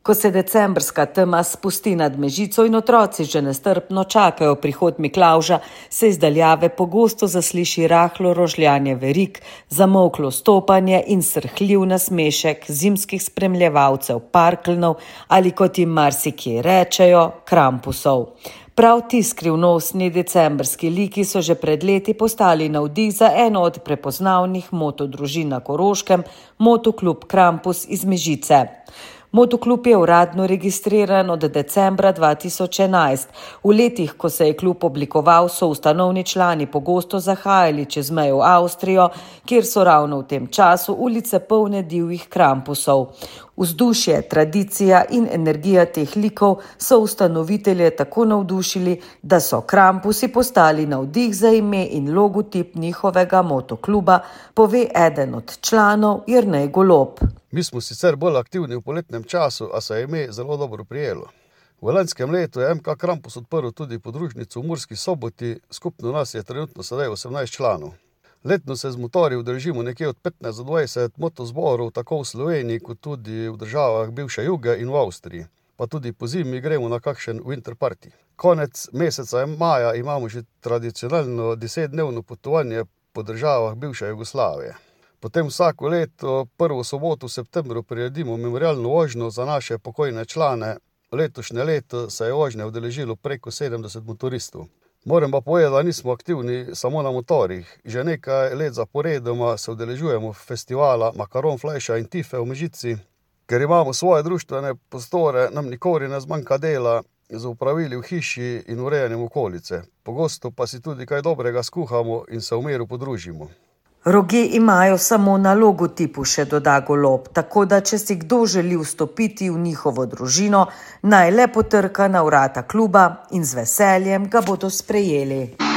Ko se decembrska tema spusti nad Mežico in otroci že nestrpno čakajo prihod Miklavža, se iz daljave pogosto zasliši rahlo rožljanje verig, zamolklo stopanje in srhljiv nasmešek zimskih spremljevalcev parkeljnov ali, kot jim marsikje rečejo, krampusov. Prav ti skrivnostni decembrski liki so že pred leti postali navdih za eno od prepoznavnih motodružin na Koroškem, Motoklub Krampus iz Mežice. Motoklub je uradno registriran od decembra 2011. V letih, ko se je klub oblikoval, so ustanovni člani pogosto zahajali čez mejo v Avstrijo, kjer so ravno v tem času ulice polne divjih krampusov. Vzdušje, tradicija in energija teh likov so ustanovitelje tako navdušili, da so krampusi postali navdih za ime in logotip njihovega motokluba, pove eden od članov Jernej Golob. Mi smo sicer bolj aktivni v poletnem času, a se je ime zelo dobro prijelo. V lanskem letu je MK Krampus odprl tudi podružnico v Murski Soboti, skupno nas je trenutno sedaj 18 članov. Letno se z motorji udeležimo nekje od 15 do 20 motozborov, tako v Sloveniji kot tudi v državah bivše Juge in v Avstriji. Pa tudi po zimi gremo na kakšen winter party. Konec meseca maja imamo že tradicionalno 10-dnevno potovanje po državah bivše Jugoslavije. Potem vsako leto, prvo soboto v septembru, priredimo memorialno vožnjo za naše pokojne člane. Letošnje leto se je vožnje udeležilo preko 70 motoristov. Moram pa povedati, da nismo aktivni samo na motorjih. Že nekaj let zaporedoma se udeležujemo festivala Makaron, Flajša in Tife v Mežici. Ker imamo svoje društvene prostore, nam nikoli ne zmanjka dela z opravili v hiši in urejanjem okolice. Pogosto pa si tudi kaj dobrega skuhamo in se v miru podružimo. Roge imajo samo na logotipu, še doda Golob, tako da če si kdo želi vstopiti v njihovo družino, naj le potrka na vrata kluba in z veseljem ga bodo sprejeli.